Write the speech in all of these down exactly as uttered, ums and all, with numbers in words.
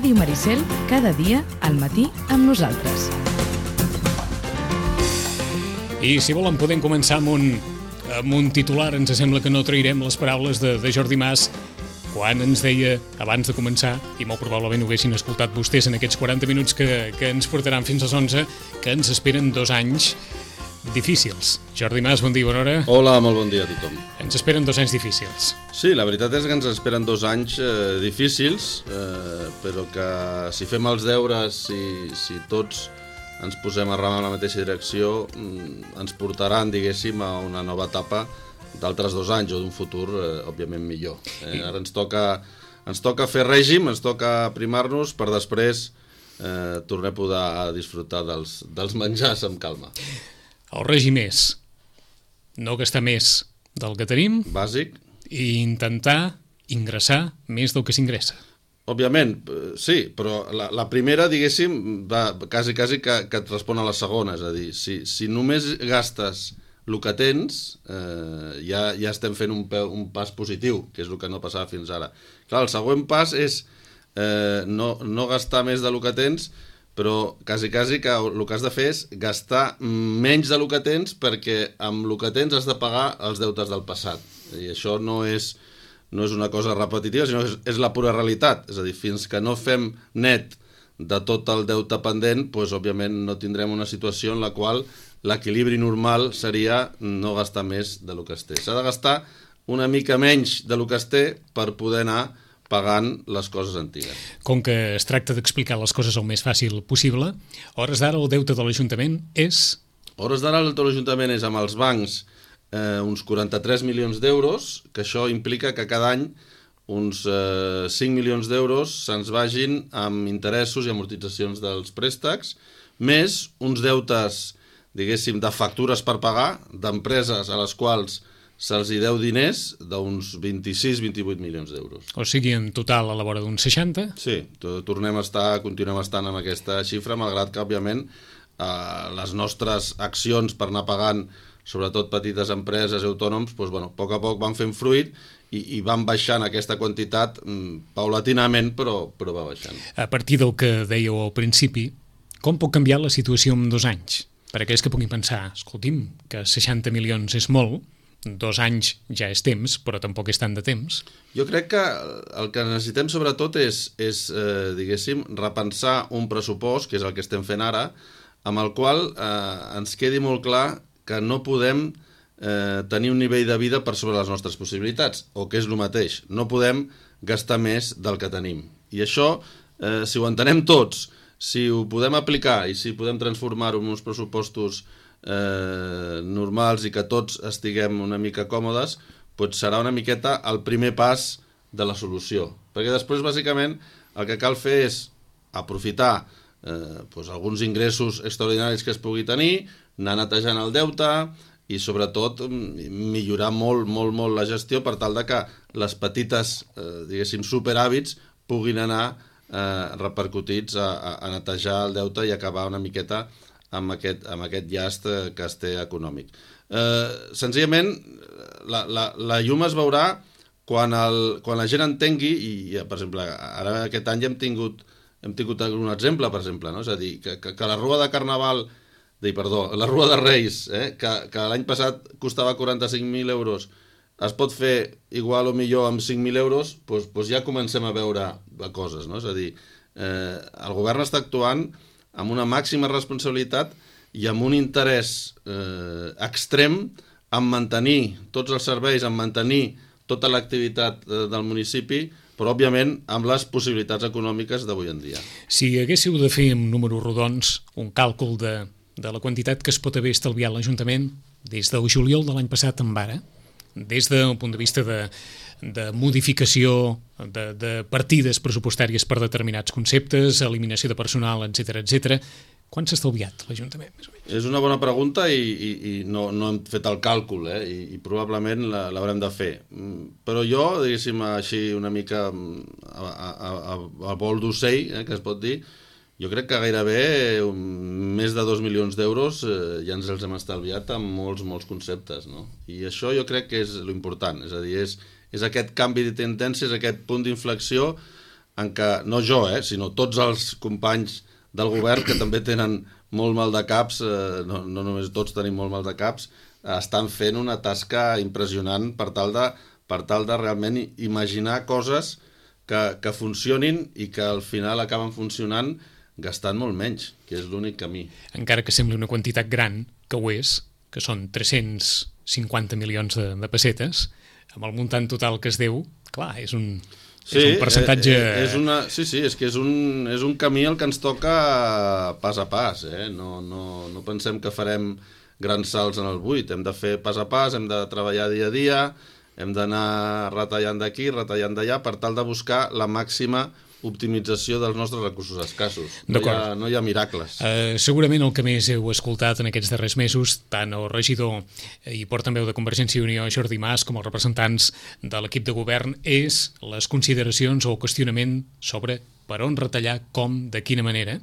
Ràdio Maricel, cada dia al matí amb nosaltres. I si volen podem començar amb un, amb un titular. Ens sembla que no trairem les paraules de, de Jordi Mas quan ens deia, abans de començar, i molt probablement ho haguessin escoltat vostès en aquests quaranta minuts que, que ens portaran fins a les onze, que ens esperen dos anys difícils. Jordi Mas, bon dia, bona hora. Hola, molt bon dia a tothom. Ens esperen dos anys difícils. Sí, la veritat és que ens esperen dos anys eh, difícils, eh, però que si fem els deures, si, si tots ens posem a remar en la mateixa direcció, mm, ens portaran, diguéssim, a una nova etapa d'altres dos anys o d'un futur, eh, òbviament, millor. Eh, ara ens toca, ens toca fer règim, ens toca primar-nos per després eh, tornar a poder disfrutar dels, dels menjars amb calma. El règim és no gastar més del que tenim. Bàsic. I intentar ingressar més del que s'ingressa. Òbviament, sí, però la, la primera, diguéssim, va quasi, quasi que, que et respon a la segona. És a dir, si, si només gastes el que tens, eh, ja, ja estem fent un, un pas positiu, que és el que no passava fins ara. Clar, el següent pas és eh, no, no gastar més del que tens, però quasi, quasi que el que has de fer és gastar menys del que tens, perquè amb el que tens has de pagar els deutes del passat. I això no és, no és una cosa repetitiva, sinó que és, és la pura realitat. És a dir, fins que no fem net de tot el deute pendent, doncs, òbviament no tindrem una situació en la qual l'equilibri normal seria no gastar més del que es té. S'ha de gastar una mica menys del que es té per poder anar pagant les coses antigues. Com que es tracta d'explicar les coses el més fàcil possible, a hores d'ara el deute de l'Ajuntament és... A hores d'ara el deute de l'Ajuntament és amb els bancs eh, uns quaranta-tres milions d'euros, que això implica que cada any uns eh, cinc milions d'euros se'ns vagin amb interessos i amortitzacions dels préstecs, més uns deutes, diguéssim, de factures per pagar, d'empreses a les quals se'ls hi deu diners, d'uns vint-i-sis a vint-i-vuit milions d'euros. O sigui, en total a la vora d'uns seixanta? Sí, tornem a estar, continuem estant amb aquesta xifra, malgrat que, òbviament, eh, les nostres accions per anar pagant, sobretot petites empreses i autònoms, doncs, bueno, a poc a poc van fent fruit i, i van baixant aquesta quantitat mm, paulatinament, però, però va baixant. A partir del que dèieu al principi, com pot canviar la situació en dos anys? Per aquells que puguin pensar, escolti'm, que seixanta milions és molt, dos anys ja és temps, però tampoc és tant de temps. Jo crec que el que necessitem sobretot és, és eh, diguéssim, repensar un pressupost, que és el que estem fent ara, amb el qual eh, ens quedi molt clar que no podem eh, tenir un nivell de vida per sobre les nostres possibilitats, o que és el mateix, no podem gastar més del que tenim. I això, eh, si ho entenem tots, si ho podem aplicar i si podem transformar-ho en uns pressupostos eh, normals i que tots estiguem una mica còmodes, doncs serà una miqueta el primer pas de la solució. Perquè després, bàsicament, el que cal fer és aprofitar eh, doncs alguns ingressos extraordinaris que es pugui tenir, anar netejant el deute i, sobretot, millorar molt, molt, molt la gestió per tal de que les petites, eh, diguéssim, superhàbits puguin anar Eh, repercutits a, a, a netejar el deute i acabar una miqueta amb aquest, amb aquest llast eh, que es té econòmic. Eh, senzillament, la, la, la llum es veurà quan, el, quan la gent entengui, i per exemple, ara aquest any hem tingut, hem tingut un exemple, per exemple, no? És a dir, que, que, que la rua de Carnaval, de, perdó, la rua de Reis, eh, que, que l'any passat costava quaranta-cinc mil euros, es pot fer igual o millor amb cinc mil euros, doncs, doncs ja comencem a veure coses, no? És a dir, eh, el govern està actuant amb una màxima responsabilitat i amb un interès eh, extrem en mantenir tots els serveis, en mantenir tota l'activitat eh, del municipi, però, òbviament, amb les possibilitats econòmiques d'avui en dia. Si haguéssiu de fer amb números rodons un càlcul de, de la quantitat que es pot haver estalviat l'Ajuntament des del juliol de l'any passat en ara, des del punt de vista de, de modificació de, de partides pressupostàries per determinats conceptes, eliminació de personal, etcètera, etcètera, quan s'ha estalviat l'Ajuntament, més o menys? És una bona pregunta i, i, i no, no hem fet el càlcul, eh? I, i probablement l'haurem de fer. Però jo, diguéssim, així una mica a, a, a, a vol d'ocell, eh, que es pot dir, jo crec que gairebé un, més de dos milions d'euros eh, ja ens els hem estalviat amb molts, molts conceptes, no? I això jo crec que és l'important, és a dir, és, és aquest canvi de tendència, és aquest punt d'inflexió en què, no jo, eh, sinó tots els companys del govern que també tenen molt mal de caps, eh, no, no només tots tenim molt mal de caps, eh, estan fent una tasca impressionant per tal de, per tal de realment imaginar coses que, que funcionin i que al final acaben funcionant gastant molt menys, que és l'únic camí. Encara que sembli una quantitat gran, que ho és, que són tres-cents cinquanta milions de, de pessetes, amb el muntant total que es deu, clar, és un... Sí, és un percentatge... és una, sí, sí, és que és un, és un camí el que ens toca pas a pas. Eh? No, no, no pensem que farem grans salts en el buit. Hem de fer pas a pas, hem de treballar dia a dia, hem d'anar retallant d'aquí, retallant d'allà, per tal de buscar la màxima optimització dels nostres recursos escassos. No hi ha, no hi ha miracles. Uh, segurament el que més heu escoltat en aquests darrers mesos, tant el regidor i portaveu de Convergència i Unió, Jordi Mas, com els representants de l'equip de govern, és les consideracions o el qüestionament sobre per on retallar, com, de quina manera,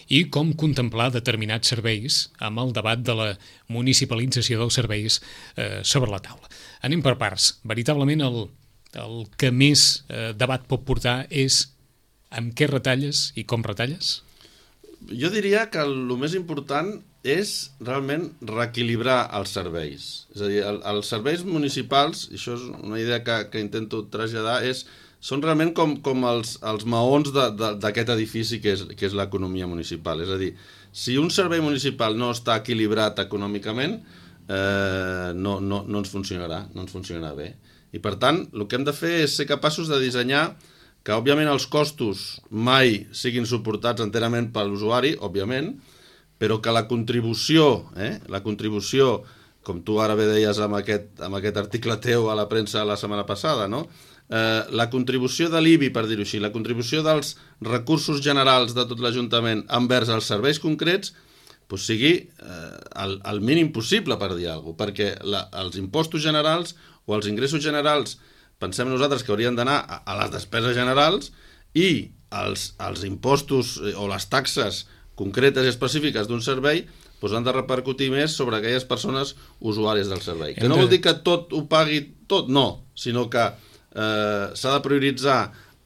i com contemplar determinats serveis amb el debat de la municipalització dels serveis eh, sobre la taula. Anem per parts. Veritablement el, el que més eh, debat pot portar és amb què retalles i com retalles? Jo diria que el, el més important és realment reequilibrar els serveis. És a dir, el, els serveis municipals, i això és una idea que, que intento traslladar, és, són realment com, com els, els maons d'aquest edifici que és, que és l'economia municipal. És a dir, si un servei municipal no està equilibrat econòmicament, eh, no, no, no ens funcionarà, no ens funcionarà bé. I per tant, el que hem de fer és ser capaços de dissenyar que, òbviament, els costos mai siguin suportats enterament per l'usuari, òbviament, però que la contribució, eh, la contribució, com tu ara bé deies amb aquest, amb aquest article teu a la premsa la setmana passada, no? eh, la contribució de l'I B I, per dir-ho així, la contribució dels recursos generals de tot l'Ajuntament envers els serveis concrets, pues sigui eh, el, el mínim possible, per dir alguna cosa, perquè la, els impostos generals o els ingressos generals pensem nosaltres que haurien d'anar a, a les despeses generals i els, els impostos o les taxes concretes i específiques d'un servei doncs han de repercutir més sobre aquelles persones usuàries del servei. Que no vol dir que tot ho pagui tot, no, sinó que eh, s'ha de prioritzar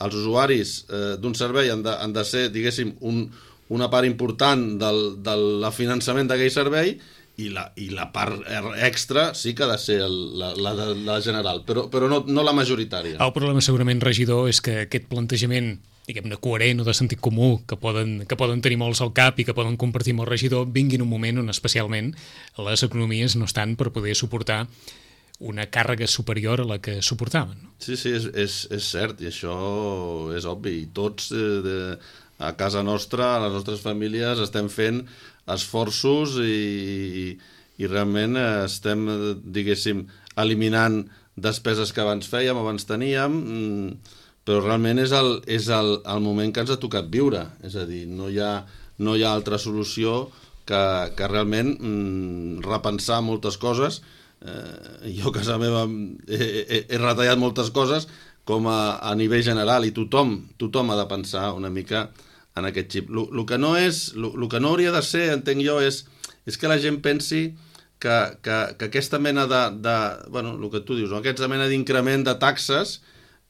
els usuaris eh, d'un servei, han de, han de ser, diguéssim, un, una part important del, del finançament d'aquell servei, i la, i la part extra sí que ha de ser el, la, la, la general, però, però no, no la majoritària. El problema segurament, regidor, és que aquest plantejament, diguem-ne, coherent o de sentit comú, que poden, que poden tenir molts al cap i que poden compartir amb el regidor, vingui en un moment on especialment les economies no estan per poder suportar una càrrega superior a la que suportaven. No? Sí, sí, és, és, és cert, i això és obvi. I tots eh, de, a casa nostra, a les nostres famílies, estem fent esforços i, i realment estem, diguéssim, eliminant despeses que abans fèiem, abans teníem, però realment és el, és el, el moment que ens ha tocat viure. És a dir, no hi ha, no hi ha altra solució que, que realment mm, repensar moltes coses. Eh, jo a casa meva he, he, he retallat moltes coses com a, a nivell general, i tothom, tothom ha de pensar una mica en aquest xip. El que no és, el que no hauria de ser, entenc jo, és, és que la gent pensi que, que, que aquesta mena de, de, bueno, el que tu dius, no? Aquesta mena d'increment de taxes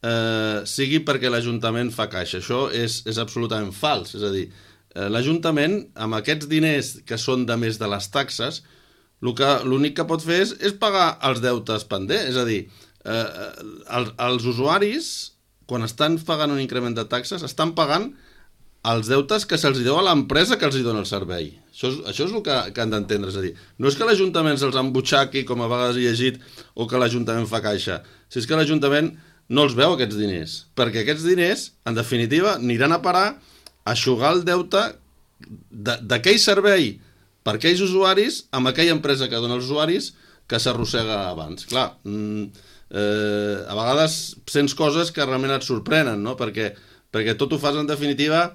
eh, sigui perquè l'Ajuntament fa caixa. Això és, és absolutament fals. És a dir, eh, l'Ajuntament, amb aquests diners que són de més de les taxes, l'únic que pot fer és, és pagar els deutes pendents. És a dir, eh, els, els usuaris, quan estan pagant un increment de taxes, estan pagant els deutes que se'ls deu a l'empresa que els hi dona el servei. Això és, això és el que, que han d'entendre. És a dir, no és que l'Ajuntament se'ls embutxaqui, com a vegades he llegit, o que l'Ajuntament fa caixa. Si és que l'Ajuntament no els veu, aquests diners. Perquè aquests diners, en definitiva, aniran a parar a eixugar el deute d'aquell servei per aquells usuaris amb aquella empresa que dona els usuaris que s'arrossega abans. Clar, mm, eh, a vegades sents coses que realment et sorprenen, no? Perquè, perquè tot ho fas, en definitiva,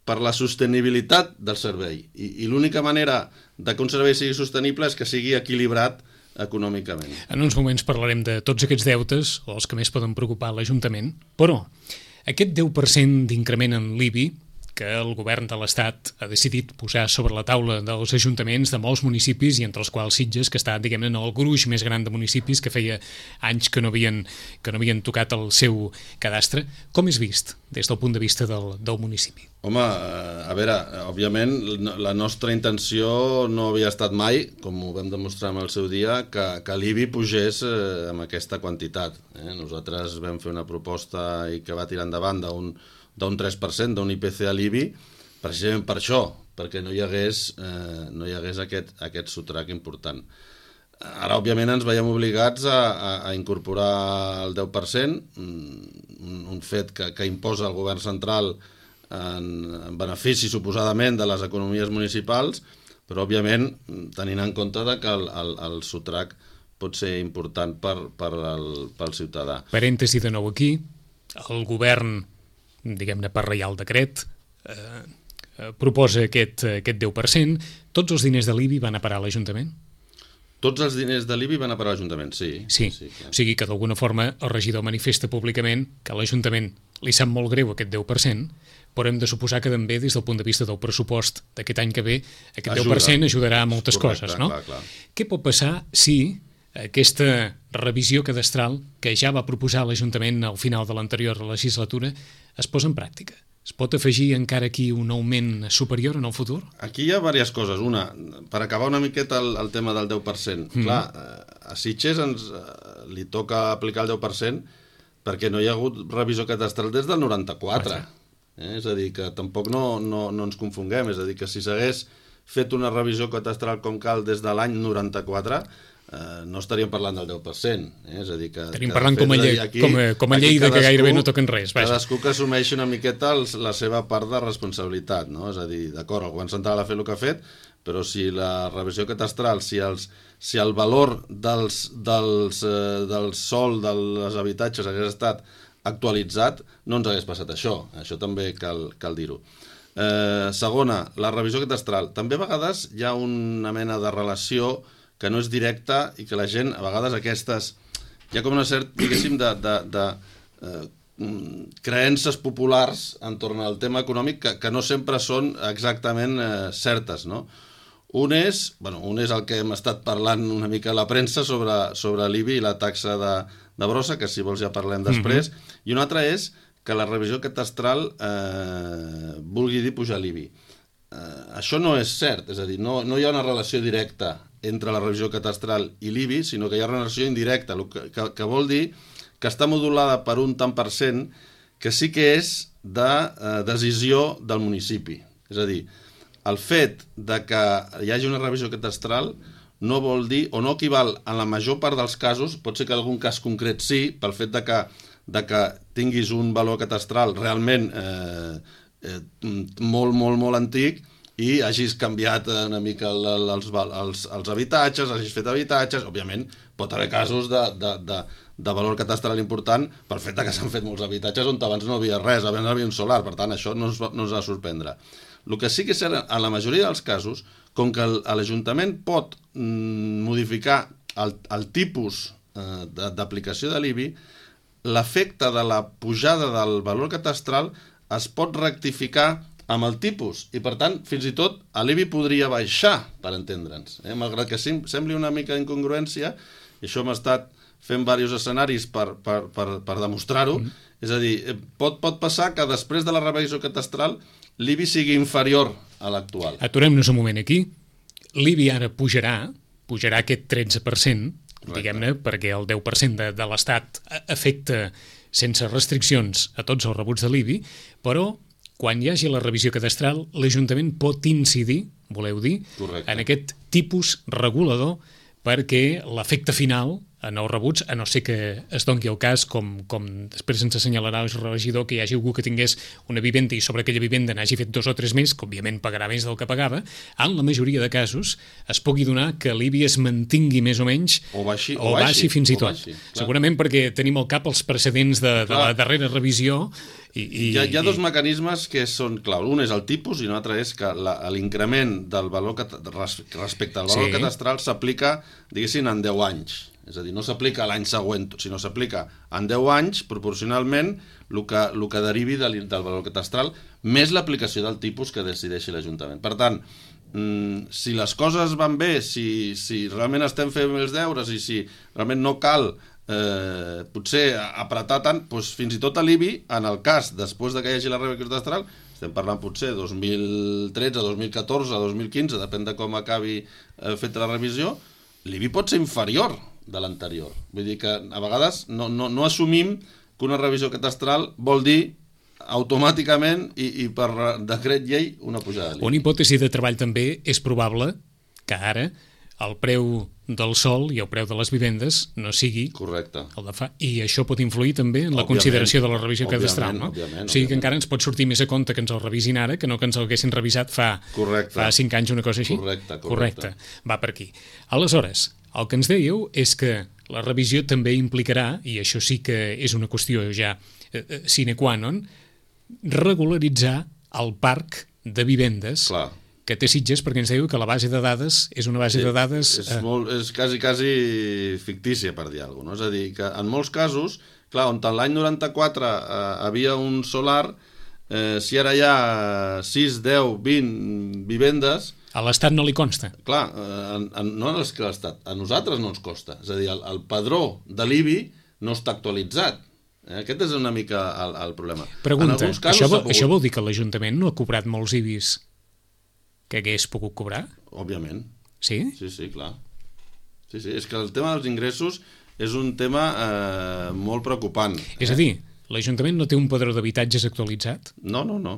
per la sostenibilitat del servei. I, i l'única manera de que un servei sigui sostenible és que sigui equilibrat econòmicament. En uns moments parlarem de tots aquests deutes, o els que més poden preocupar l'Ajuntament, però aquest deu per cent d'increment en l'I B I, que el govern de l'Estat ha decidit posar sobre la taula dels ajuntaments de molts municipis i entre els quals Sitges, que està, diguem-ne, en el gruix més gran de municipis que feia anys que no havien, que no havien tocat el seu cadastre. Com és vist des del punt de vista del, del municipi? Home, a veure, òbviament la nostra intenció no havia estat mai, com ho vam demostrar en el seu dia, que, que l'I B I pugés eh, amb aquesta quantitat. Eh? Nosaltres vam fer una proposta i que va tirar endavant d'un d'un tres per cent d'un I P C a l'I B I, precisament per això, perquè no hi hagués, eh, no hi hagués aquest, aquest sotrac important. Ara, òbviament, ens veiem obligats a, a, a incorporar el deu per cent, un, un fet que, que imposa el govern central en, en benefici, suposadament, de les economies municipals, però, òbviament, tenint en compte que el, el, el sotrac pot ser important per, per el, pel ciutadà. Parèntesi de nou aquí, el govern, diguem-ne per reial decret, eh, eh, proposa aquest, aquest deu per cent. Tots els diners de l'I B I van a parar a l'Ajuntament? Tots els diners de l'I B I van a parar a l'Ajuntament, sí. Sí, sí, o sigui que d'alguna forma el regidor manifesta públicament que a l'Ajuntament li sap molt greu aquest deu per cent, però hem de suposar que també des del punt de vista del pressupost d'aquest any que ve aquest Ajuda. deu per cent ajudarà a moltes Correcte, coses, no? Clar, clar. Què pot passar si aquesta revisió cadastral que ja va proposar l'Ajuntament al final de l'anterior legislatura es posa en pràctica? Es pot afegir encara aquí un augment superior en el futur? Aquí hi ha diverses coses. Una, per acabar una miqueta el, el tema del deu per cent. Mm. Clar, a Sitges ens, li toca aplicar el deu per cent perquè no hi ha hagut revisió cadastral des del noranta-quatre. Eh? És a dir, que tampoc no, no, no ens confonguem. És a dir, que si s'hagués fet una revisió cadastral com cal des de l'any noranta-quatre, Uh, no estaríem parlant del deu per cent. Eh? És a dir, que... Estaríem parlant com a, llei, aquí, com a, com a llei de que gairebé no toquen res. Vaja. Cadascú que assumeixi una miqueta els, la seva part de responsabilitat. No? És a dir, d'acord, el govern central ha fet el que ha fet, però si la revisió catastral, si, els, si el valor dels, dels, eh, del sol dels habitatges hagués estat actualitzat, no ens hagués passat això. Això també cal, cal dir-ho. Eh, segona, la revisió catastral. També a vegades hi ha una mena de relació que no és directa i que la gent, a vegades aquestes, hi ha com una certa, diguéssim, de, de, de eh, creences populars entorn al tema econòmic que, que no sempre són exactament eh, certes, no? Un és, bueno, un és el que hem estat parlant una mica a la premsa sobre, sobre l'I B I i la taxa de, de brossa, que si vols ja parlem després, mm-hmm. i un altre és que la revisió catastral eh, vulgui dir pujar l'I B I. Eh, això no és cert, és a dir, no, no hi ha una relació directa entre la revisió catastral i l'I B I, sinó que hi ha una relació indirecta, que, que, que vol dir que està modulada per un tant per cent que sí que és de eh, decisió del municipi. És a dir, el fet de que hi hagi una revisió catastral no vol dir, o no equival en la major part dels casos, pot ser que en algun cas concret sí, pel fet de que, de que tinguis un valor catastral realment eh, eh, molt, molt, molt antic, i hagis canviat una mica el, els, els, els habitatges, hagis fet habitatges, òbviament pot haver casos de, de, de, de valor catastral important pel fet que s'han fet molts habitatges on abans no havia res, abans no havia un solar, per tant això no ens, no ens ha de sorprendre. El que sí que és cert, en la majoria dels casos, com que l'Ajuntament pot mm, modificar el, el tipus eh, d'aplicació de l'I B I, l'efecte de la pujada del valor catastral es pot rectificar amb el tipus, i per tant, fins i tot, l'I B I podria baixar, per entendre'ns. Eh? Malgrat que sembli una mica d'incongruència, i això hem estat fent diversos escenaris per, per, per, per demostrar-ho, mm. és a dir, pot, pot passar que després de la revisió catastral l'I B I sigui inferior a l'actual. Aturem-nos un moment aquí. L'I B I ara pujarà, pujarà aquest tretze per cent, diguem-ne, perquè el deu per cent de, de l'Estat afecta sense restriccions a tots els rebuts de l'I B I, però quan hi hagi la revisió cadastral, l'Ajuntament pot incidir, voleu dir, Correcte. En aquest tipus regulador perquè l'efecte final en els rebuts, a no ser que es doni el cas, com, com després ens assenyalarà el regidor, que hi hagi algú que tingués una vivenda i sobre aquella vivenda n'hagi fet dos o tres més, que òbviament pagarà més del que pagava, en la majoria de casos es pugui donar que l'I B I es mantingui més o menys o baixi, o o baixi, baixi fins i tot. Baixi, segurament perquè tenim al cap els precedents de, de la darrera revisió. I, i, hi, ha, hi ha dos i... mecanismes que són clau. Un és el tipus i un altre és que l'increment del valor cat... respecte al valor sí. catastral s'aplica, diguéssim, en deu anys. És a dir, no s'aplica l'any següent, sinó s'aplica en deu anys, proporcionalment, el que, el que derivi del, del valor catastral, més l'aplicació del tipus que decideixi l'Ajuntament. Per tant, si les coses van bé, si, si realment estem fent els deures i si realment no cal eh, potser apretar tant, doncs fins i tot a l'I B I, en el cas, després de que hi hagi la revisió catastral, estem parlant potser dos mil tretze, dos mil catorze, dos mil quinze, depèn de com acabi eh, feta la revisió, l'I B I pot ser inferior de l'anterior. Vull dir que a vegades no, no, no assumim que una revisió catastral vol dir automàticament i, i per decret llei una pujada de l'I B I. Una hipòtesi de treball també és probable que ara el preu del sòl i el preu de les vivendes no sigui correcte el de fa. I això pot influir també en la òbviament, consideració de la revisió òbviament, catastral, no? òbviament, o sigui òbviament. que encara ens pot sortir més a compte que ens el revisin ara que no que ens l'haguessin revisat fa, fa cinc anys, una cosa així. Correcte, correcte. correcte. Va per aquí. Aleshores, el que ens dèieu és que la revisió també implicarà, i això sí que és una qüestió ja eh, sine qua non, regularitzar el parc de vivendes Clar. que té Sitges, perquè ens dèieu que la base de dades és una base Sí, de dades... És, molt, és quasi, quasi fictícia, per dir alguna cosa. No? És a dir, que en molts casos, clar, on l'any noranta-quatre eh, havia un solar, eh, si ara hi ha sis, deu, vint vivendes... A l'Estat no li consta. Clar, eh, en, en, no és que l'Estat, a nosaltres no ens costa. És a dir, el, el padró de l'I B I no està actualitzat. Eh? Aquest és una mica el, el problema. Pregunta, en casos, això, vol, pogut... això vol dir que l'Ajuntament no ha cobrat molts I B Is que hagués pogut cobrar? Òbviament. Sí? Sí, sí, clar. Sí, sí, és que el tema dels ingressos és un tema eh, molt preocupant. És eh? a dir, l'Ajuntament no té un padró d'habitatges actualitzat? No, no, no.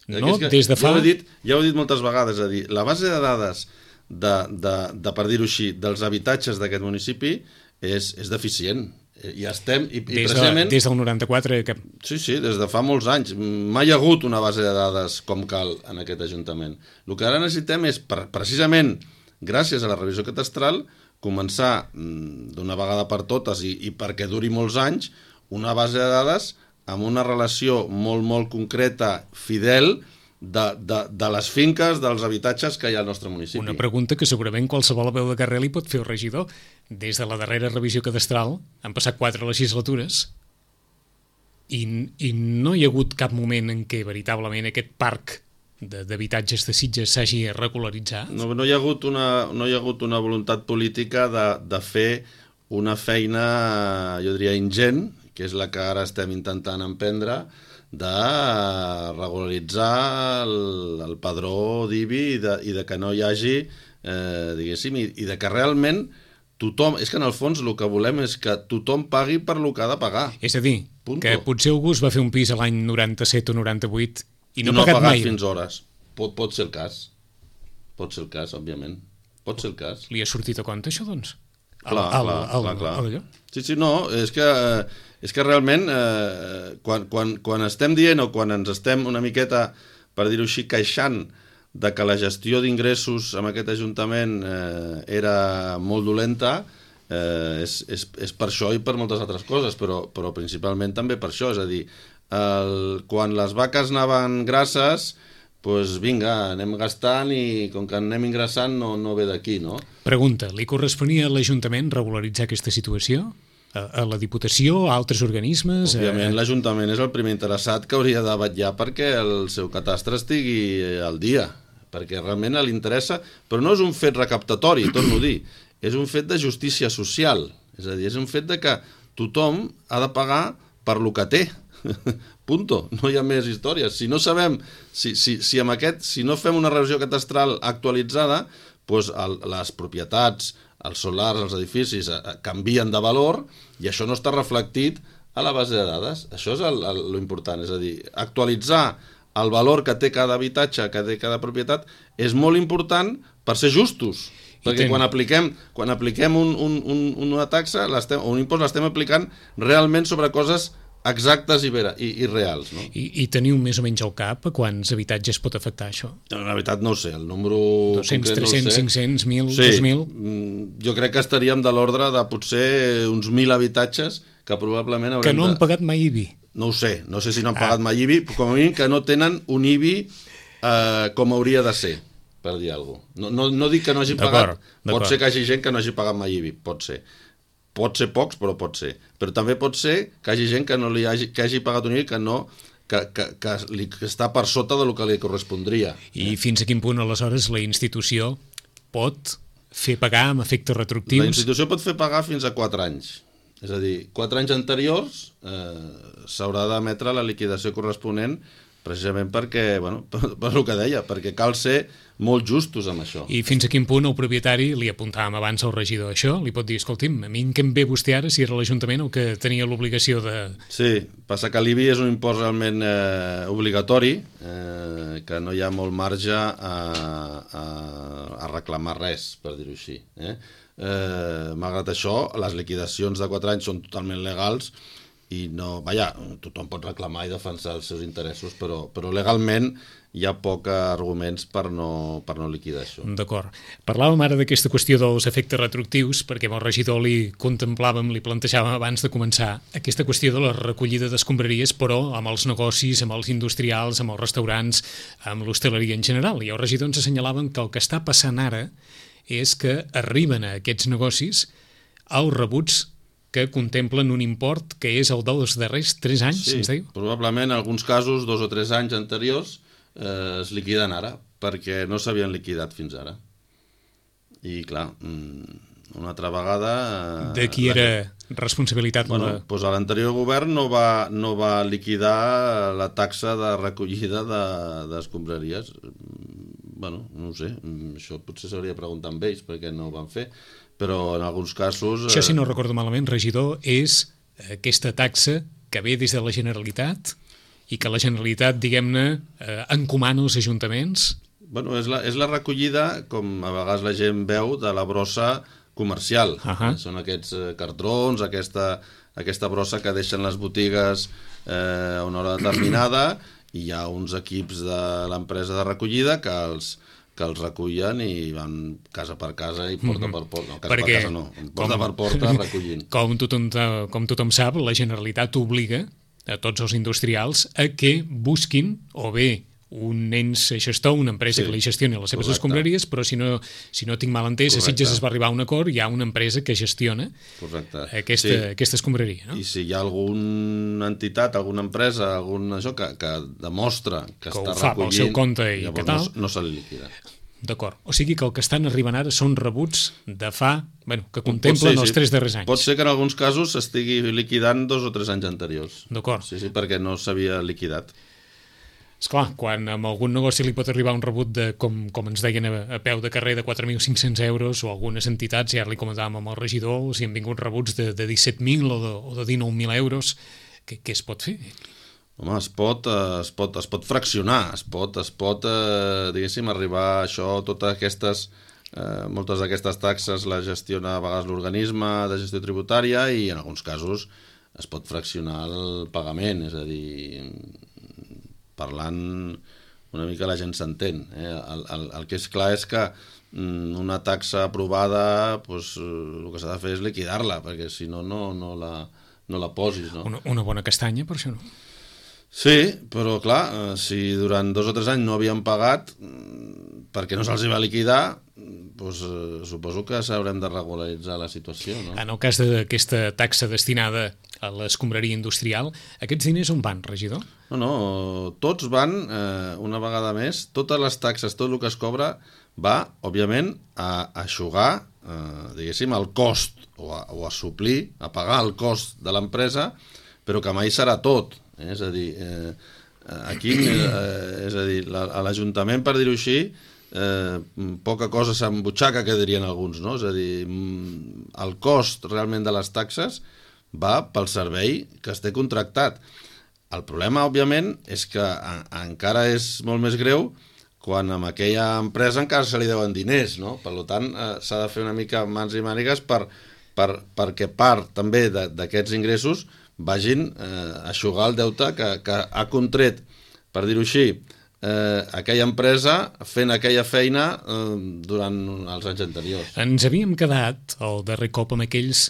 No, que, des de fa... Ja ho, he dit, ja ho he dit moltes vegades, és a dir, la base de dades, de, de, de per dir-ho així, dels habitatges d'aquest municipi és, és deficient. I estem... I, i des, precisament, de, des del noranta-quatre... Que... Sí, sí, des de fa molts anys. Mai hi ha hagut una base de dades com cal en aquest Ajuntament. El que ara necessitem és, precisament, gràcies a la revisió catastral, començar d'una vegada per totes i, i perquè duri molts anys, una base de dades amb una relació molt, molt concreta, fidel, de, de, de les finques, dels habitatges que hi ha al nostre municipi. Una pregunta que segurament qualsevol veu de carrer li pot fer el regidor. Des de la darrera revisió catastral han passat quatre legislatures i, i no hi ha hagut cap moment en què veritablement aquest parc d'habitatges de, de Sitges s'hagi regularitzat. No, no, hi ha hagut una, no hi ha hagut una voluntat política de, de fer una feina, jo diria, ingent, que és la que ara estem intentant emprendre, de regularitzar el, el padró d'I B I i de, i de que no hi hagi, eh, diguéssim, i, i de que realment tothom, és que en el fons el que volem és que tothom pagui per lo que ha de pagar. És a dir, Punto. Que potser algú es va fer un pis a l'any noranta-set o noranta-vuit i no, I no ha pagat, ha pagat mai. fins hores. Pot, pot ser el cas. Pot ser el cas, òbviament. Pot ser el cas. Li ha sortit a compte, això, doncs? Clar, el, el, clar, el, clar, clar. El, el, sí, sí, no, és que, és que realment eh, quan, quan, quan estem dient o quan ens estem una miqueta, per dir-ho així, queixant de que la gestió d'ingressos en aquest Ajuntament eh, era molt dolenta, eh, és, és, és per això i per moltes altres coses, però, però principalment també per això, és a dir, el, quan les vaques anaven grasses, doncs vinga, anem gastant i com que anem ingressant no, no ve d'aquí, no? Pregunta, li corresponia a l'Ajuntament regularitzar aquesta situació? A, a la Diputació, a altres organismes? Òbviament a... l'Ajuntament és el primer interessat que hauria de vetllar perquè el seu catastre estigui al dia, perquè realment li interessa, però no és un fet recaptatori, torno a dir, és un fet de justícia social, és a dir, és un fet de que tothom ha de pagar per lo que té. Punto, no hi ha més històries. Si no sabem, si, si, si amb aquest, si no fem una revisió catastral actualitzada, doncs el, les propietats, els solars, els edificis eh, canvien de valor i això no està reflectit a la base de dades. Això és el, el, lo important, és a dir, actualitzar el valor que té cada habitatge, que té cada propietat, és molt important per ser justos. Perquè quan apliquem, quan apliquem un, un, un, una taxa o un impost l'estem aplicant realment sobre coses exactes i, vera, i, i reals. No? I, I teniu més o menys al cap a quants habitatges pot afectar això? No, la veritat no ho sé, el número... dos-cents, tres-cents, no cinc-cents, mil, sí, dos mil? Jo crec que estaríem de l'ordre de potser uns mil habitatges que probablement haurem que no de... han pagat mai I B I? No ho sé, no sé si no han ah. pagat mai I B I, però com a mínim que no tenen un I B I eh, com hauria de ser, per dir alguna cosa. No, no, no dic que no hagi pagat, pot ser que hi hagi gent que no hagi pagat mai I B I, pot ser. pot ser pocs, però pot ser. Però també pot ser que hi hagi gent que, no li hagi, que hagi pagat un I V A que no... Que, que, que, li, que està per sota del que li correspondria. I fins a quin punt, aleshores, la institució pot fer pagar amb efectes retroactius? La institució pot fer pagar fins a quatre anys. És a dir, quatre anys anteriors eh, s'haurà d'emetre la liquidació corresponent precisament perquè, bueno, per, per el que deia, perquè cal ser molt justos amb això. I fins a quin punt el propietari, li apuntàvem abans al regidor això, li pot dir, escolti'm, a mi què em ve vostè ara si era l'Ajuntament el que tenia l'obligació de... Sí, passa que l'I B I és un impost realment eh, obligatori, eh, que no hi ha molt marge a, a, a reclamar res, per dir-ho així. Eh? Eh, malgrat això, les liquidacions de quatre anys són totalment legals i no, vaja, tothom pot reclamar i defensar els seus interessos, però, però legalment hi ha pocs arguments per no, per no liquidar això. D'acord. Parlàvem ara d'aquesta qüestió dels efectes retroactius, perquè amb el regidor li contemplàvem, li plantejàvem abans de començar aquesta qüestió de la recollida d'escombraries, però amb els negocis, amb els industrials, amb els restaurants, amb l'hostaleria en general. I el regidor ens assenyalaven que el que està passant ara és que arriben a aquests negocis els rebuts que contemplen un import que és el dels darrers tres anys, sí, ens diu? Probablement en alguns casos, dos o tres anys anteriors, eh, es liquiden ara, perquè no s'havien liquidat fins ara. I clar, una altra vegada... Eh, de qui era la... responsabilitat? Bueno, la... doncs l'anterior govern no va, no va liquidar la taxa de recollida d'escombraries. De, bueno, no ho sé, això potser s'hauria de preguntar amb ells perquè no ho van fer, però en alguns casos... Això, si no recordo malament, regidor, és aquesta taxa que ve des de la Generalitat i que la Generalitat, diguem-ne, eh, encomana als ajuntaments? Bueno, és la, és la recollida, com a vegades la gent veu, de la brossa comercial. Uh-huh. Són aquests eh, cartrons, aquesta, aquesta brossa que deixen les botigues eh, a una hora determinada, i hi ha uns equips de l'empresa de recollida que els... que els recullen i van casa per casa i porta mm-hmm. per porta. No, casa Perquè, per casa no, porta com, per porta recollint. Com tothom, com tothom sap, la Generalitat obliga a tots els industrials a que busquin o bé un ens gestor, una empresa sí, que li gestioni les seves correcte. escombraries, però si no, si no tinc mal entès, correcte. a Sitges es va arribar a un acord, hi ha una empresa que gestiona correcte. aquesta, sí. aquesta escombraria. No? I si hi ha alguna entitat, alguna empresa, algun això que, que demostra que, que està fa recollint, pel seu compte i què tal, no, no se li liquida. D'acord. O sigui que el que estan arribant ara són rebuts de fa, bueno, que contemplen ser, els sí. tres darrers anys. Pot ser que en alguns casos s'estigui liquidant dos o tres anys anteriors. D'acord. Sí, sí, perquè no s'havia liquidat. Esclar, quan amb algun negoci li pot arribar un rebut de, com, com ens deien a, a peu de carrer, de quatre mil cinc-cents euros, o algunes entitats, ja li comentàvem amb el regidor, si han vingut rebuts de, de disset mil o de, o de dinou mil euros, què, què es pot fer? Home, es pot, es pot, es pot fraccionar, es pot, es pot eh, diguéssim, arribar a això, totes aquestes, eh, moltes d'aquestes taxes les gestiona a vegades l'organisme de gestió tributària i en alguns casos es pot fraccionar el pagament, és a dir, parlant una mica la gent s'entén. Eh? El, el, el que és clar és que mm, una taxa aprovada, pues, el que s'ha de fer és liquidar-la, perquè si no, no, no, la, no la posis. No? Una, una bona castanya, per això no? Sí, però clar, si durant dos o tres anys no havien pagat perquè no se'ls va liquidar, doncs, eh, suposo que s'haurem de regularitzar la situació. No? En el cas d'aquesta taxa destinada a l'escombraria industrial, aquests diners on van, regidor? No, no, tots van, eh, una vegada més, totes les taxes, tot el que es cobra, va, òbviament, a aixugar, eh, diguéssim, el cost, o a, o a suplir, a pagar el cost de l'empresa, però que mai serà tot. Eh? És a dir, eh, aquí, eh, és a dir, la, a l'Ajuntament, per dir-ho així, eh, poca cosa s'embutxaca, que dirien alguns, no? És a dir, el cost realment de les taxes va pel servei que es té contractat. El problema, òbviament, és que a, encara és molt més greu quan amb aquella empresa encara se li deuen diners, no? Per tant, eh, s'ha de fer una mica mans i mànigues per, per, perquè part també d'aquests ingressos vagin eh, a aixugar el deute que, que ha contret, per dir-ho així, eh, aquella empresa fent aquella feina eh, durant els anys anteriors. Ens havíem quedat el darrer cop amb aquells,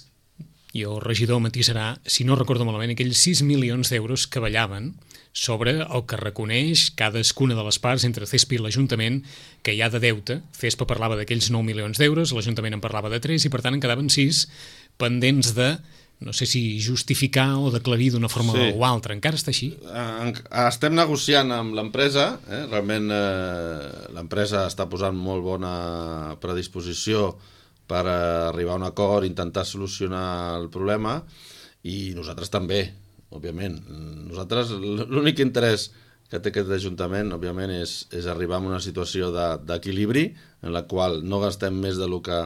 i el regidor matisarà, si no recordo malament, aquells sis milions d'euros que ballaven sobre el que reconeix cadascuna de les parts entre CESPA i l'Ajuntament que hi ha de deute. CESPA parlava d'aquells nou milions d'euros, l'Ajuntament en parlava de tres i per tant en quedaven sis, pendents de, no sé si justificar o d'aclarir d'una forma Sí. o altra. Encara està així? En- Estem negociant amb l'empresa, eh? realment eh, l'empresa està posant molt bona predisposició per arribar a un acord, intentar solucionar el problema, i nosaltres també, òbviament. Nosaltres, l'únic interès que té aquest Ajuntament, òbviament, és, és arribar a una situació de- d'equilibri en la qual no gastem més de lo que,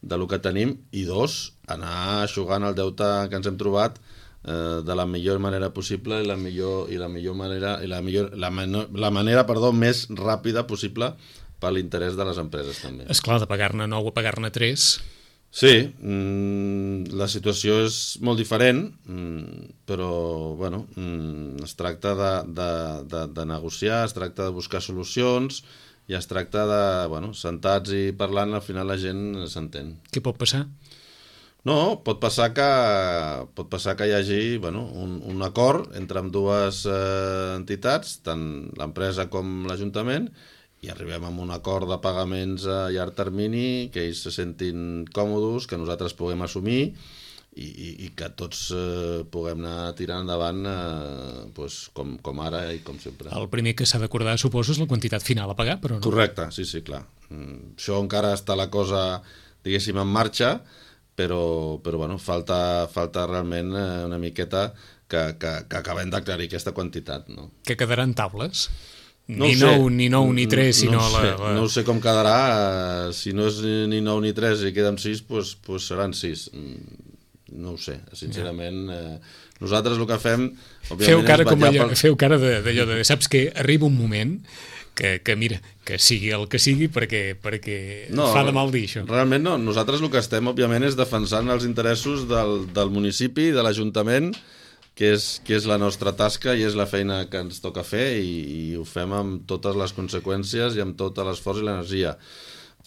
de lo que tenim, i dos, anar eixugant el deute que ens hem trobat eh, de la millor manera possible i la millor, i la millor manera, i la, millor, la, menor, la manera perdó, més ràpida possible per l'interès de les empreses també. Esclar, de pagar-ne nou a pagar-ne tres... Sí, mm, la situació és molt diferent, mm, però bueno, mm, es tracta de, de, de, de negociar, es tracta de buscar solucions i es tracta de, bueno, sentats i parlant, al final la gent s'entén. Què pot passar? No, pot passar que, pot passar que hi hagi bueno, un, un acord entre ambdues eh, entitats, tant l'empresa com l'Ajuntament, i arribem a un acord de pagaments a llarg termini, que ells se sentin còmodes, que nosaltres puguem assumir i, i, i que tots eh, puguem anar tirant endavant eh, pues, com, com ara i com sempre. El primer que s'ha d'acordar, suposo, és la quantitat final a pagar, però no. Correcte, sí, sí, clar. Mm, això encara està la cosa, diguéssim, en marxa, però, però bueno, falta, falta realment eh, una miqueta que, que, que acabem d'aclarir aquesta quantitat, no? Que quedaran taules? No ni ho sé. nou, ni nou, ni tres, sinó no ho sé. la, la... No ho sé com quedarà, eh, si no és ni nou ni tres i queden sis, doncs, doncs seran sis. Mm, no ho sé, sincerament. Eh, nosaltres el que fem, òbviament, Feu cara, és com vetllar allò, pel... feu cara de- d'allò de, saps que arriba un moment que, que mira, que sigui el que sigui perquè, perquè No, fa de mal dir això. Realment no. Nosaltres el que estem, òbviament, és defensant els interessos del, del municipi, de l'Ajuntament, que és, que és la nostra tasca i és la feina que ens toca fer, i, i ho fem amb totes les conseqüències i amb tot l'esforç i l'energia.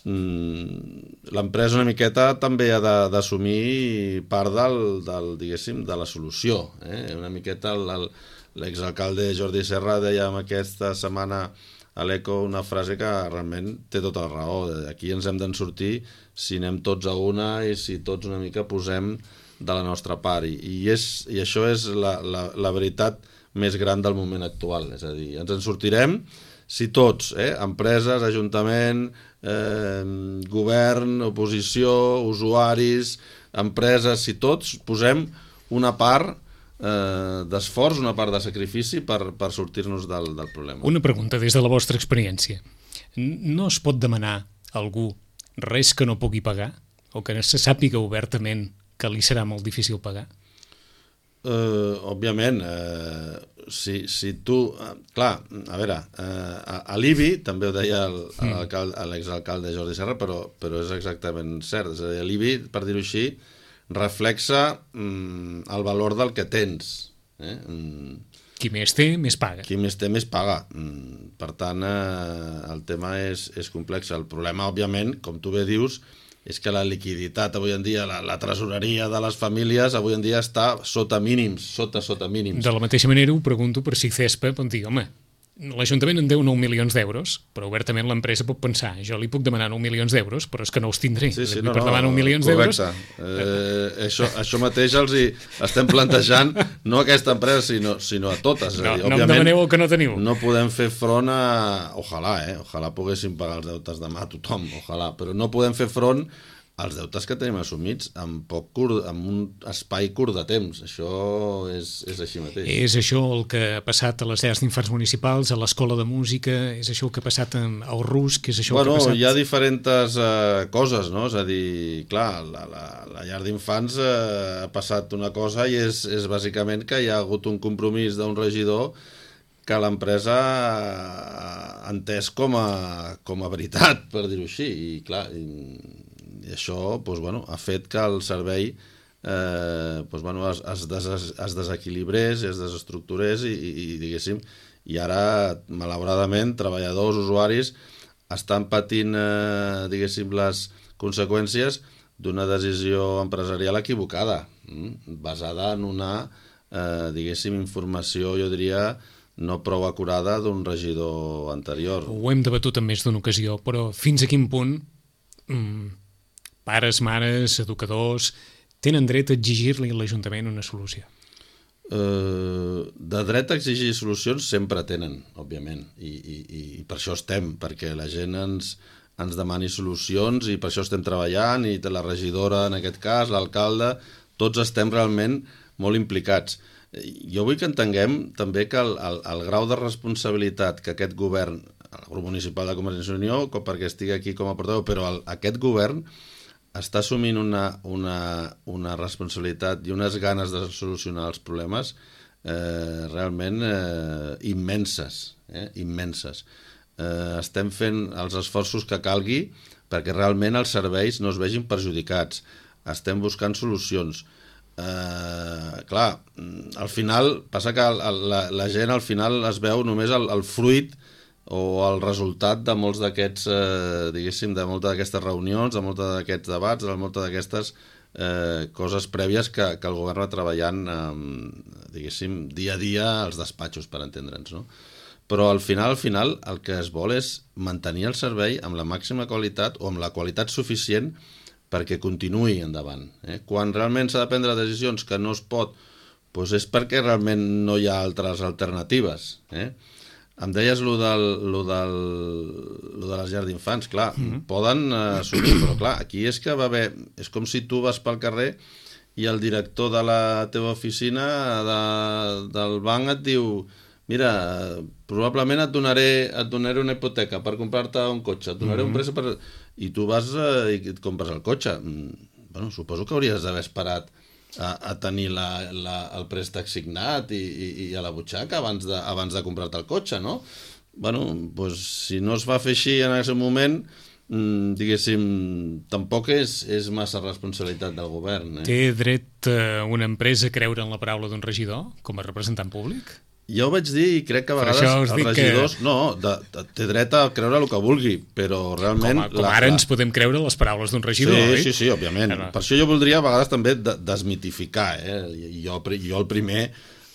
Mm, l'empresa una miqueta també ha de- d'assumir part del, del, diguéssim, de la solució. Eh? Una miqueta el- el- l'exalcalde Jordi Serra deia aquesta setmana a l'Eco una frase que realment té tota la raó. Aquí ens hem d'en sortir si anem tots a una i si tots una mica posem de la nostra part, i, i, és, i això és la, la, la veritat més gran del moment actual. És a dir, ens en sortirem si tots, eh, empreses, ajuntament, eh, govern, oposició, usuaris, empreses, si tots posem una part eh, d'esforç, una part de sacrifici per, per sortir-nos del, del problema. Una pregunta des de la vostra experiència. N- No es pot demanar a algú res que no pugui pagar? O que se sàpiga obertament que li serà molt difícil pagar? Uh, òbviament, uh, si, si tu... Uh, clar, a veure, uh, a, a l'I B I, també ho deia el, mm. l'exalcalde Jordi Serra, però, però és exactament cert. És a dir, l'I B I, per dir-ho així, reflexa um, el valor del que tens. Eh? Um, Qui més té, més paga. Qui més té, més paga. Um, per tant, uh, el tema és, és complex. El problema, òbviament, com tu bé dius, és que la liquiditat avui en dia, la, la tresoreria de les famílies avui en dia està sota mínims, sota, sota mínims. De la mateixa manera ho pregunto per si CESPA pot dir, home, l'Ajuntament en deu nou milions d'euros, però obertament l'empresa pot pensar, jo li puc demanar nou milions d'euros, però és que no els tindré. Sí, sí, no, no, per demanar nou milions d'euros... eh, això, això mateix els hi estem plantejant, no a aquesta empresa, sinó, sinó a totes. No, dir, no em demaneu el que no teniu. No podem fer front a... Ojalà, eh? Ojalà poguéssim pagar els deutes demà a tothom, ojalà, però no podem fer front als deutes que tenim assumits amb, poc curt, amb un espai curt de temps. Això és, és així mateix. És això el que ha passat a les llars d'infants municipals, a l'escola de música, és això el que ha passat al Rus, que és això Bueno, el que ha passat... hi ha diferents uh, coses, no? És a dir, clar, la, la, la llar d'infants uh, ha passat una cosa i és, és bàsicament que hi ha hagut un compromís d'un regidor que l'empresa ha entès com a, com a veritat, per dir-ho així. I clar, i, i això doncs, bueno, ha fet que el servei eh, doncs, bueno, es, es, des, es desequilibrés, es desestructurés i, i, i diguéssim, i ara, malauradament, treballadors, usuaris, estan patint, eh, diguéssim, les conseqüències d'una decisió empresarial equivocada, mm? basada en una, eh, diguéssim, informació, jo diria, no prou acurada d'un regidor anterior. Ho hem debatut en més d'una ocasió, però fins a quin punt mm, pares, mares, educadors, tenen dret a exigir-li a l'Ajuntament una solució? Uh, de dret a exigir solucions sempre tenen, òbviament, i, i, i per això estem, perquè la gent ens, ens demani solucions i per això estem treballant, i la regidora en aquest cas, l'alcalde, tots estem realment molt implicats. Jo vull que entenguem també que el, el, el grau de responsabilitat que aquest govern, el grup municipal de Convergència i Unió, perquè estigui aquí com a portaveu, però el, aquest govern està assumint una, una, una responsabilitat i unes ganes de solucionar els problemes eh, realment eh, immenses, eh, immenses. Eh, estem fent els esforços que calgui perquè realment els serveis no es vegin perjudicats. Estem buscant solucions. Eh, clar, al final, passa que la, la gent al final es veu només el, el fruit o el resultat de molts d'aquests, eh, diguéssim, de moltes d'aquestes reunions, de molts d'aquests debats, de moltes d'aquestes eh, coses prèvies que, que el govern va treballant, eh, diguéssim, dia a dia als despatxos, per entendre'ns, no? Però al final, al final, el que es vol és mantenir el servei amb la màxima qualitat o amb la qualitat suficient perquè continuï endavant. Eh? Quan realment s'ha de prendre decisions que no es pot, doncs és perquè realment no hi ha altres alternatives, eh? Em deies lo, del, lo, del, lo de les llars d'infants, clar, mm-hmm. poden eh, assumir, però clar, aquí és que va haver... És com si tu vas pel carrer i el director de la teva oficina de, del banc et diu mira, probablement et donaré, et donaré una hipoteca per comprar-te un cotxe, et donaré mm-hmm. un préstec per... I tu vas eh, i et compres el cotxe. Bueno, suposo que hauries d'haver esperat A, a tenir la, la, el préstec signat i, i, i a la butxaca abans de, abans de comprar-te el cotxe, no? Bueno, doncs si no es va fer així en aquest moment, mmm, diguéssim, tampoc és, és massa responsabilitat del govern. Eh? Té dret eh, una empresa a creure en la paraula d'un regidor com a representant públic? Ja ho vaig dir i crec que a vegades els regidors... Que... No, de, de, té dret a creure el que vulgui, però realment... Com, a, com la, ara la... ens podem creure les paraules d'un regidor, sí, oi? Sí, sí, òbviament. Ara... Per això jo voldria a vegades també de, desmitificar, eh? I jo, jo el primer,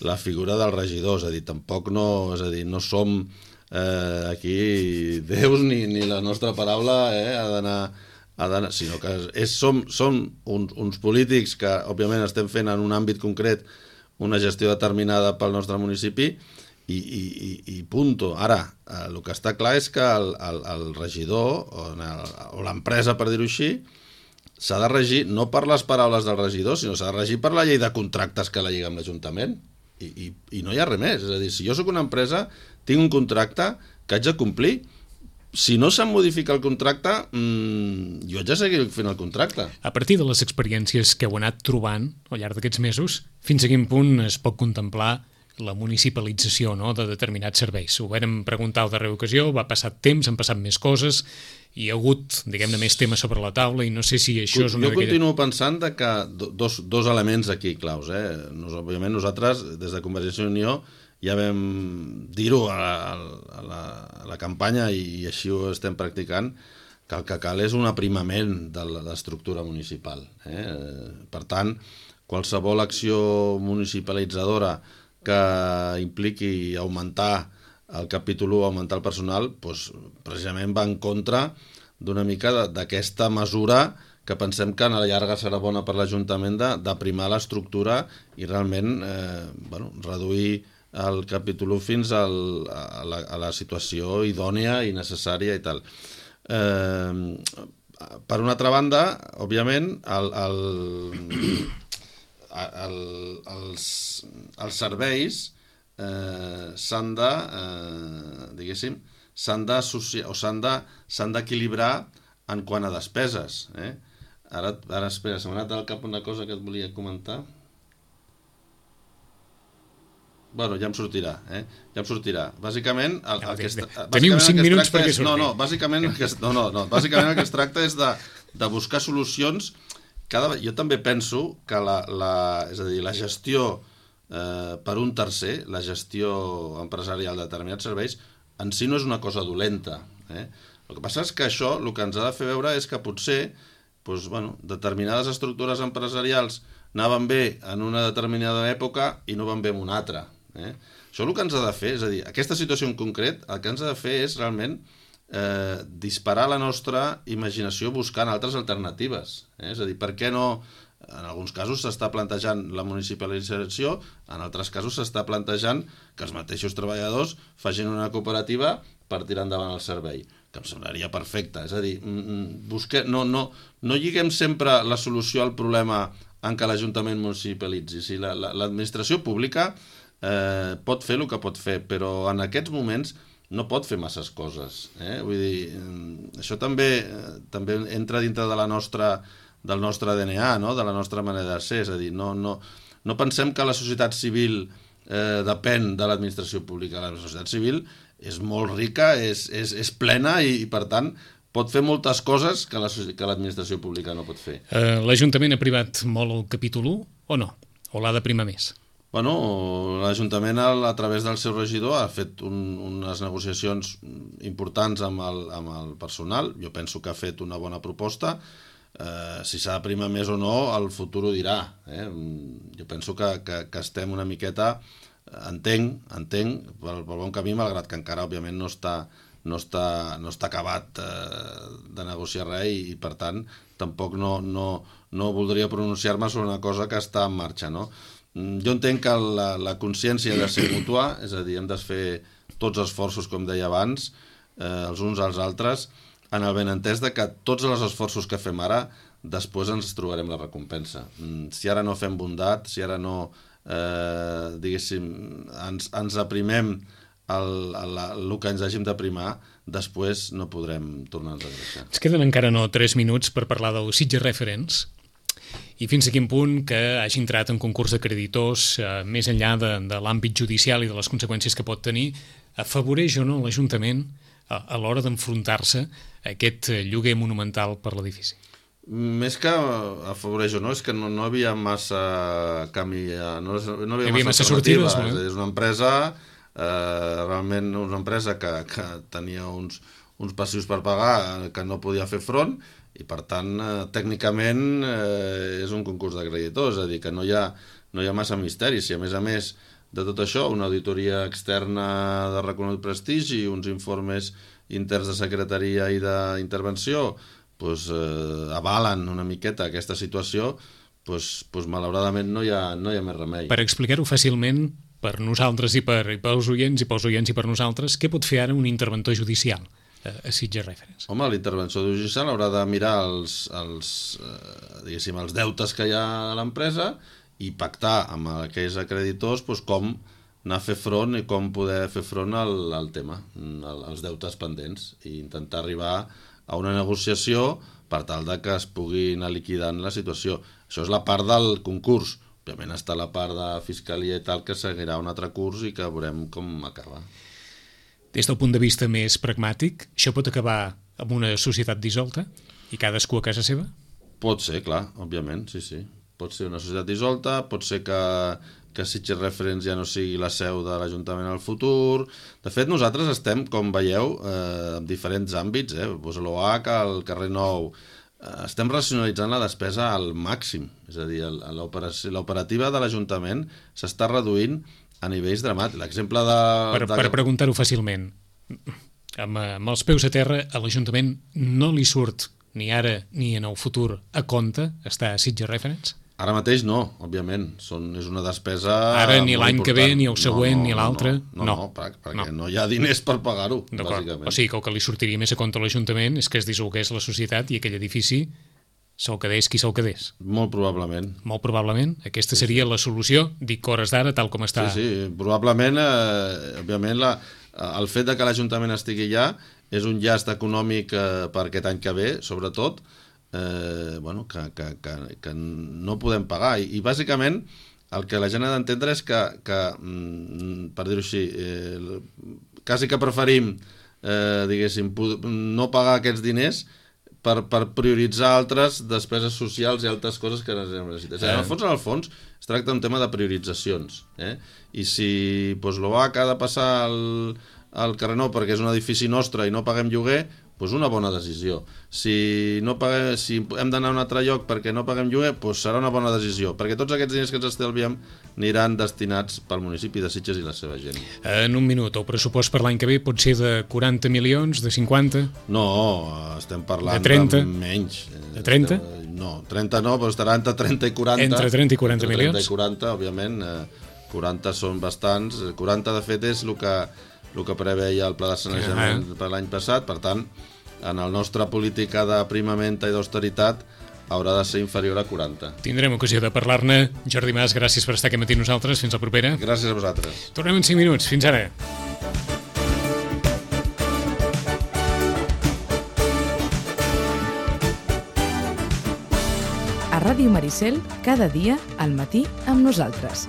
la figura del regidor, és a dir, tampoc no, és a dir, no som eh, aquí déus ni, ni la nostra paraula eh, ha d'anar... d'anar sinó que és, som, som uns, uns polítics que, òbviament, estem fent en un àmbit concret una gestió determinada pel nostre municipi i, i, i, i punto. Ara, eh, el que està clar és que el, el, el regidor o, el, o l'empresa, per dir-ho així, s'ha de regir no per les paraules del regidor, sinó s'ha de regir per la llei de contractes que la lliga amb l'Ajuntament. I, i, i no hi ha res més. És a dir, si jo sóc una empresa, tinc un contracte que haig de complir. Si no se'm modifica el contracte, mmm, jo haig de seguir fent el contracte. A partir de les experiències que heu anat trobant al llarg d'aquests mesos, fins a quin punt es pot contemplar la municipalització, no?, de determinats serveis? Ho vam preguntar a la darrera ocasió, va passar temps, han passat més coses, hi ha hagut, diguem-ne, més temes sobre la taula i no sé si això és una... Jo continuo pensant de que dos, dos elements aquí claus. Eh? Nos, òbviament nosaltres, des de Convergència i Unió, ja vam dir-ho a, a, la, a la campanya i així ho estem practicant, que el que cal és un aprimament de l'estructura municipal. Eh? Per tant, qualsevol acció municipalitzadora que impliqui augmentar el capítol u, augmentar el personal, doncs, precisament va en contra d'una mica d'aquesta mesura que pensem que a la llarga serà bona per l'Ajuntament d'aprimar l'estructura i realment eh, bueno, reduir el capítol u fins al, a, la, a la situació idònia i necessària i tal. Eh, per una altra banda, òbviament, el, el, el, els, els serveis eh, s'han de, eh, diguéssim, s'han d'associar o s'han de, s'han d'equilibrar en quant a despeses. Eh? Ara, ara, espera, se m'ha anat al cap una cosa que et volia comentar. Bueno, ja em sortirà, eh? Ja em sortirà. Bàsicament, el, el que es, Teniu cinc minuts perquè és, no, no, bàsicament el que es, no, no, no, bàsicament el que es tracta és de, de buscar solucions. Cada, jo també penso que la, la, és a dir, la gestió eh, per un tercer, la gestió empresarial de determinats serveis, en si no és una cosa dolenta. Eh? El que passa és que això el que ens ha de fer veure és que potser doncs, bueno, determinades estructures empresarials anaven bé en una determinada època i no van bé en una altra. Eh? Això el que ens ha de fer, és a dir, aquesta situació en concret, el que ens ha de fer és realment eh, disparar la nostra imaginació buscant altres alternatives. Eh? És a dir, per què no En alguns casos s'està plantejant la municipalització, en altres casos s'està plantejant que els mateixos treballadors facin una cooperativa per tirar endavant el servei, que em semblaria perfecte. És a dir, busque, no, no, no lliguem sempre la solució al problema en què l'Ajuntament municipalitzi. Si la, la, l'administració pública eh, pot fer el que pot fer, però en aquests moments no pot fer masses coses. Eh? Vull dir, això també, també entra dintre de la nostra, del nostre D N A, no? De la nostra manera de ser. És a dir, no, no, no pensem que la societat civil eh, depèn de l'administració pública. La societat civil és molt rica, és, és, és plena i, i, per tant, pot fer moltes coses que, la, que l'administració pública no pot fer. Uh, L'Ajuntament ha privat molt el capítol u o no? O l'ha de primar més? Bueno, l'Ajuntament, a través del seu regidor, ha fet un, unes negociacions importants amb el, amb el personal. Jo penso que ha fet una bona proposta. Eh, si s'ha de primar més o no, el futur ho dirà. Eh? Jo penso que, que, que estem una miqueta... Entenc, entenc, pel, pel bon camí, malgrat que encara, òbviament, no està, no està, no està acabat eh, de negociar res i, i, per tant, tampoc no, no, no voldria pronunciar-me sobre una cosa que està en marxa, no? Jo entenc que la, la consciència ha de ser mútua, és a dir, hem de fer tots els esforços, com deia abans, eh, els uns als altres, en el benentès de que tots els esforços que fem ara, després ens trobarem la recompensa. Si ara no fem bondat, si ara no... Eh, diguéssim, ens, ens aprimem el, el, el que ens hàgim d'aprimar, després no podrem tornar-nos a greixar. Ens queden encara no tres minuts per parlar del Sitges Referents i fins a quin punt que hagi entrat en concurs de creditors, eh, més enllà de, de l'àmbit judicial i de les conseqüències que pot tenir, afavoreix o no l'Ajuntament a, a l'hora d'enfrontar-se a aquest lloguer monumental per l'edifici? Més que afavoreix o no, és que no, no havia massa camí, no, no havia, havia massa, massa sortides. No? És una empresa, eh, realment una empresa que, que tenia uns, uns passius per pagar que no podia fer front i, per tant, eh, tècnicament eh, és un concurs de creditors, és a dir, que no hi ha, no hi ha massa misteri. Si a més a més de tot això, una auditoria externa de reconegut prestigi, uns informes interns de secretaria i d'intervenció, pues, eh, avalen una miqueta aquesta situació, pues, pues, malauradament no hi ha, no hi ha més remei. Per explicar-ho fàcilment, per nosaltres i per i pels oients i pels oients i per nosaltres, què pot fer ara un interventor judicial a, a Sitges Referents? Home, l'interventor judicial haurà de mirar els, els, eh, diguéssim, els deutes que hi ha a l'empresa i pactar amb aquells acreditors pues, com anar a fer front i com poder fer front al, al tema, als deutes pendents, i intentar arribar a una negociació per tal de que es pugui anar liquidant la situació. Això és la part del concurs. Òbviament està la part de fiscalia i tal, que seguirà un altre curs i que veurem com acaba. Des del punt de vista més pragmàtic, això pot acabar amb una societat dissolta i cadascú a casa seva? Pot ser, clar, òbviament, sí, sí. Pot ser una societat dissolta, pot ser que, que Sitges Referents ja no sigui la seu de l'Ajuntament al futur. De fet, nosaltres estem, com veieu, eh, en diferents àmbits, eh, pues l'O H, el carrer Nou, eh, estem racionalitzant la despesa al màxim. És a dir, l'operativa de l'Ajuntament s'està reduint a nivells dramàtics. L'exemple de... Per, de... per preguntar-ho fàcilment, amb, amb els peus a terra, a l'Ajuntament no li surt ni ara ni en el futur a compte estar a Sitges Referents? Ara mateix no, òbviament. Són, és una despesa Ara ni l'any que ve, ni el següent, no, no, ni l'altre? No, no, no, no, perquè no. no hi ha diners per pagar-ho, bàsicament. O sigui que el que li sortiria més a compte a l'Ajuntament és que es dissolgués la societat i aquell edifici se'l quedés qui se'l quedés. Molt probablement. Molt probablement. Aquesta seria sí, sí. la solució, dic hores d'ara, tal com està. Sí, sí, probablement, eh, òbviament, la, el fet de que l'Ajuntament estigui allà és un llast econòmic eh, per aquest any que ve, sobretot, eh, bueno, que, que, que, que no podem pagar. I, i bàsicament el que la gent ha d'entendre és que, que mm, per dir-ho així, eh, quasi que preferim, eh, diguéssim, no pagar aquests diners per, per prioritzar altres despeses socials i altres coses que necessitem. En el fons, en el fons, es tracta d'un tema de prioritzacions. Eh? I si doncs, l'O H ha de passar el, el carrer Nou perquè és un edifici nostre i no paguem lloguer, doncs una bona decisió. Si, no paguem, si hem d'anar a un altre lloc perquè no paguem lloguer, doncs serà una bona decisió, perquè tots aquests diners que ens estalviem aniran destinats pel municipi de Sitges i la seva gent. En un minut, el pressupost per l'any que ve pot ser de quaranta milions, de cinquanta? No, estem parlant de, trenta? de menys. De trenta? No, trenta no, però estarà entre trenta i quaranta. Entre trenta i quaranta entre milions? trenta i quaranta, òbviament. quaranta són bastants. quaranta, de fet, és el que, el que preveia el pla de sanejament ah. per l'any passat. Per tant, en la nostra política d'aprimamenta i d'austeritat haurà de ser inferior a quaranta. Tindrem ocasió de parlar-ne. Jordi Mas, gràcies per estar aquí matí amb nosaltres. Fins la propera. Gràcies a vosaltres. Tornem en cinc minuts. Fins ara. A Ràdio Maricel, cada dia al matí amb nosaltres.